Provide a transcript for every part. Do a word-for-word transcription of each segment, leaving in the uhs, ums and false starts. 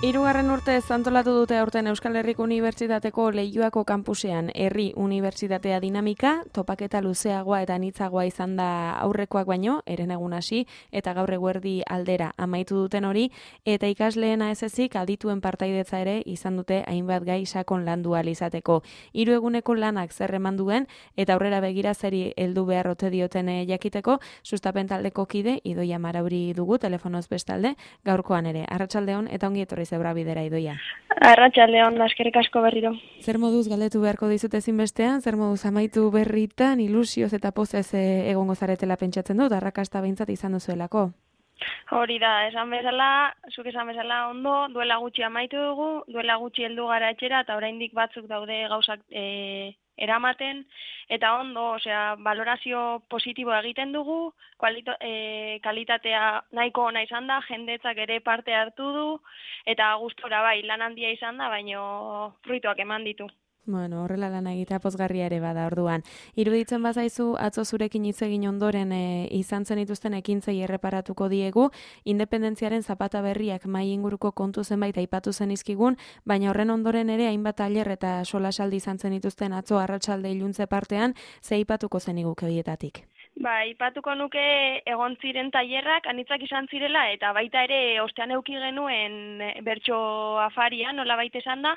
Hirugarren urtez antolatu dute aurten Euskal Herriko Unibertsitateko Leioako kanpusean Herri Unibertsitatea dinamika, topaketa luzeagoa eta anitzagoa izan da aurrekoak baino, herenegun hasi eta gaur eguerdi aldera amaitu duten hori, eta ikasleena ez ezik adituen partaidetza ere izan dute hainbat gai sakon landu ahal izateko. Hiru eguneko lanak zer eman duen eta aurrera begira zeri heldu behar ote dioten jakiteko, sustapen taldeko kide Idoia Marauri dugu telefonoz bestalde, gaurkoan ere. Arratsaldeon eta ongi etorri zeura bidera, Idoia. Arratsaldeon, eskerrik asko berriro. Zer moduz galdetu beharko dizut ezinbestean, zer moduz amaitu berritan, ilusioz eta pozez e, egongo zaretela pentsatzen dut, arrakasta behintzat izan duzuelako? Hori da, esan bezala, zuk esan bezala ondo, duela gutxi amaitu dugu, duela gutxi heldu gara etxera, eta oraindik batzuk daude gauzak e, eramaten, eta ondo, osea, valorazio positiboa egiten dugu, kualito, e, kalitatea nahiko ona izan da, jendetzak ere parte hartu du, eta gustora bai, lan handia izan da, baino fruituak eman ditu. Bueno, horrela lan egitea pozgarria ere bada orduan. Iruditzen bazaizu, atzo zurekin hitz egin ondoren e, izan zen dituzten ekintzei erreparatuko diegu, independentziaren zapata berriak mai inguruko kontu zenbait aipatu zen izkigun, baina horren ondoren ere hainbat tailer eta solasaldi izan zen dituzten atzo arratsalde iluntze partean, ze aipatuko zen iguke horietatik? Ba, ipatuko nuke egon ziren tailerrak anitzak izan zirela eta baita ere ostean euki genuen bertso afaria, nola baita esan da,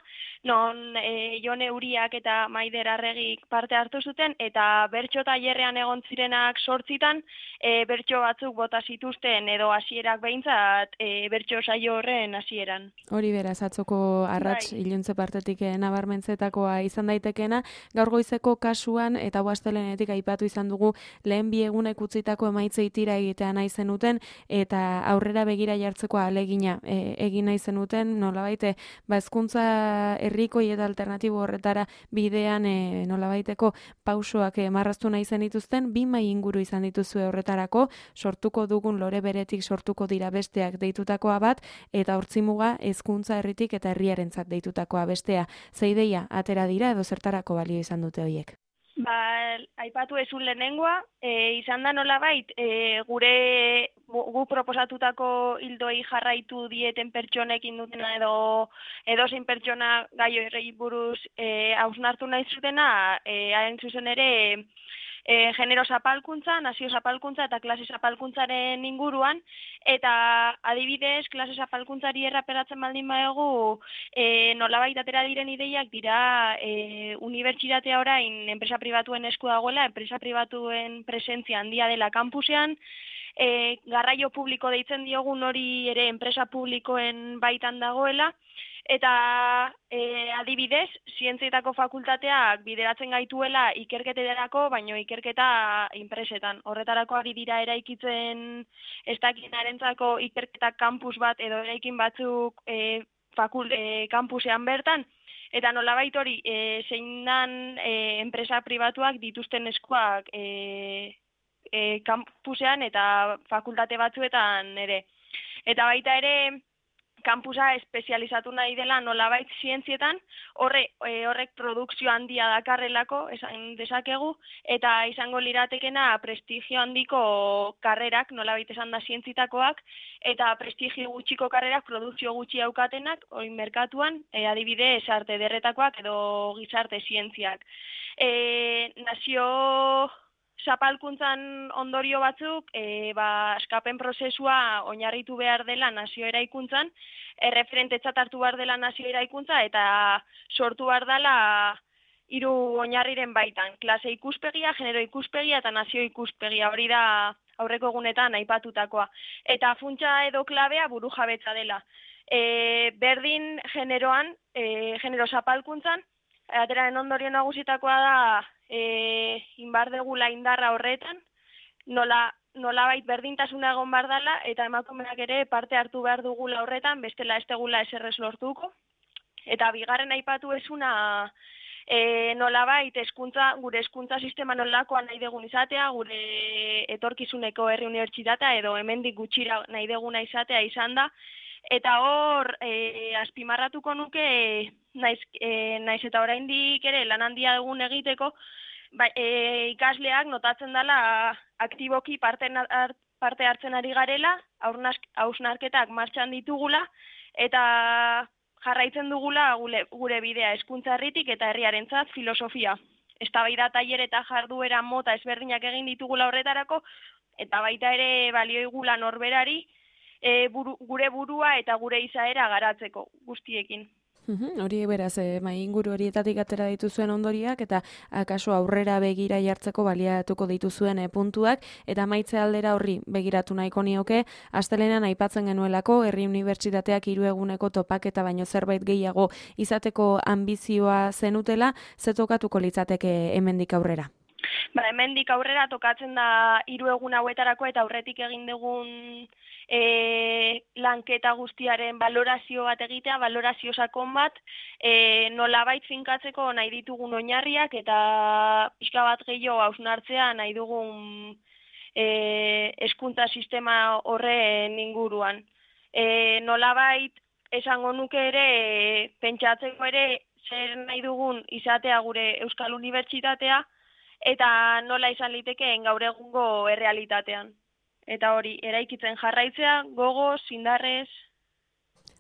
non e, Jone Uriak eta Maider Arregik parte hartu zuten eta bertso tailerrean egon zirenak sortzitan e, bertso batzuk bota zituzten edo hasierak behintzat e, bertso saio horren hasieran. Hori beraz, atzoko arrats bai. Iluntze partetik nabarmentzetakoa izan daitekena, gaur goizeko kasuan eta astelehenetik aipatu izan dugu lehen bi egunek utzitako emaitzei tira egitea nahi zenuten eta aurrera begira jartzeko ahalegina e, egin nahi zenuten, nolabaite ba hezkuntza herrikoi eta alternatibo horretara bidean e, nolabaiteko pausoak e, marraztu nahi zenituzten, bi mai inguru izan dituzue horretarako, sortuko dugun lore beretik sortuko dira besteak deitutakoa bat eta hortzimuga hezkuntza herritik eta herriarentzat deitutakoa bestea. Ze ideia atera dira edo zertarako balio izan dute horiek? Ba, aipatu ezun lehenengoa, e, izan da nolabait, e, gure gu proposatutako hildoei jarraitu dieten pertsonekin dutena edo edozein pertsona gai horrei buruz e, hausnartu nahi zutena, e, hain zuzen ere e, genero zapalkuntza, nazio zapalkuntza eta klase zapalkuntzaren inguruan, eta adibidez, klase zapalkuntzari erraperatzen baldin badugu, e, nolabait atera diren ideiak dira e, unibertsitatea orain enpresa pribatuen esku dagoela, enpresa pribatuen presentzia handia dela kampusean, e, garraio publiko deitzen diogun hori ere enpresa publikoen baitan dagoela, eta e, adibidez, zientzietako fakultateak bideratzen gaituela ikerketerako, baino ikerketa inpresetan. Horretarako ari dira eraikitzen ez dakinarentzako ikerketa kampus bat edo eraikin batzuk e, fakul, e, kampusean bertan, eta nolabait hori e, zein dan e, enpresa pribatuak dituzten eskuak e, e, kampusean eta fakultate batzuetan ere. Eta baita ere, kampusa espezializatu nahi dela nolabait zientzietan, horre, e, horrek produkzio handia dakarrelako, esan dezakegu, eta izango liratekena prestigio handiko karrerak, nolabait esan da zientzitakoak, eta prestigio gutxiko karrerak produkzio gutxi aukatenak, oin merkatuan, e, adibidez arte ederretakoak edo gizarte zientziak. E, nazio zapalkuntzan ondorio batzuk, e, ba, askapen prozesua oinarritu behar dela nazio eraikuntzan, erreferentetzat hartu behar dela nazio eraikuntza, eta sortu behar dela hiru oinarriren baitan. Klase ikuspegia, genero ikuspegia eta nazio ikuspegia, hori da aurreko egunetan aipatutakoa. Eta funtsa edo klabea buru jabetza dela. E, berdin generoan, e, genero zapalkuntzan, ateraren ondorio nagusitakoa da, E, inbar degula indarra horretan, nola, nolabait berdintasuna egon behar dela, eta emakumeak ere parte hartu behar dugula horretan, bestela ez degula eserrez lortuko. Eta bigarren aipatu ezuna e, nolabait eskuntza, gure hezkuntza sistema nolakoa nahi degun izatea, gure etorkizuneko herri unibertsitatea edo hemendik gutxira nahi deguna izatea izan da, eta hor e, azpimarratuko nuke naiz, e, naiz eta oraindik ere lan handia egun egiteko, ba, e, ikasleak notatzen dela aktiboki parte, parte hartzen ari garela, hausnarketak martxan ditugula, eta jarraitzen dugula gure, gure bidea hezkuntza herritik eta herriarentzat filosofia. Eztabaida tailer eta jarduera mota ezberdinak egin ditugula horretarako, eta baita ere balioigula norberari e, buru, gure burua eta gure izaera garatzeko guztiekin. Uhum, hori beraz, eh, mai inguru horietatik atera dituzuen ondoriak eta akaso aurrera begira jartzeko baliatuko dituzuen eh, puntuak eta maitze aldera horri begiratu nahiko nioke, astelenean aipatzen genuelako Herri Unibertsitateak hiru eguneko topaketa baino zerbait gehiago izateko ambizioa zenutela, ze tokatuko litzateke hemendik aurrera? Ba, hemendik aurrera tokatzen da hiru egun hauetarako eta aurretik egin dugun e, lanketa guztiaren balorazio bat egitea, balorazio sakon bat, e, nolabait finkatzeko nahi ditugun oinarriak eta pixka bat gehiago hausnartzea nahi dugun e, hezkuntza sistema horren inguruan. E, nolabait esango nuke ere, e, pentsatzeko ere zer nahi dugun izatea gure Euskal Unibertsitatea, eta nola izan litekeen gaur egungo errealitatean. Eta hori, eraikitzen jarraitzea, gogoz, indarrez.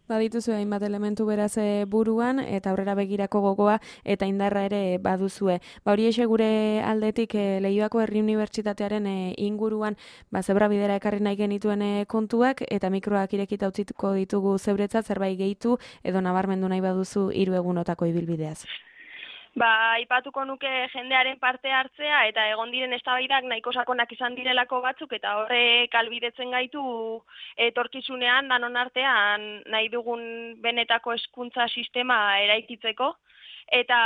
Badituzu hainbat elementu beraz buruan, eta aurrera begirako gogoa eta indarra ere baduzue. Ba hori exe gure aldetik e, Leioako Herri Unibertsitatearen e, inguruan ba, zebra bidera ekarri nahi genituen e, kontuak, eta mikroak irekita utzituko ditugu zeuretzat zerbait gehitu, edo nabarmendu nahi baduzu hiru egunotako ibilbideaz. Ba, aipatuko nuke jendearen parte hartzea eta egon diren eztabaidak nahiko sakonak izan direlako batzuk eta horrek albidetzen gaitu etorkizunean danon artean nahi dugun benetako hezkuntza sistema eraikitzeko eta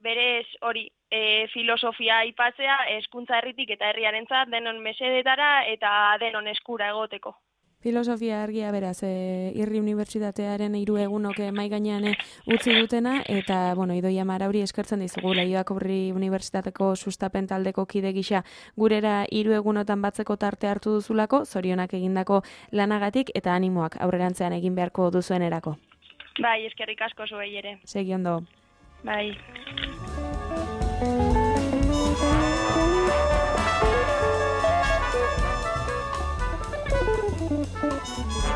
berez hori e, filosofia aipatzea hezkuntza herritik eta herriarentzat denon mesedetara eta denon eskura egoteko. Filosofia argia beraz, e, Herri Unibertsitatearen hiru egunok mai gainean utzi dutena, eta, bueno, Idoia Marauri eskertzen dizugu Leioako Herri Unibertsitateko sustapen taldeko kide gisa gurera hiru egunotan batzeko tarte hartu duzulako, zorionak egindako lanagatik, eta animoak aurrerantzean egin beharko duzuenerako. Bai, eskerrik asko zuei ere. Segi ondo. Bai. Thank you.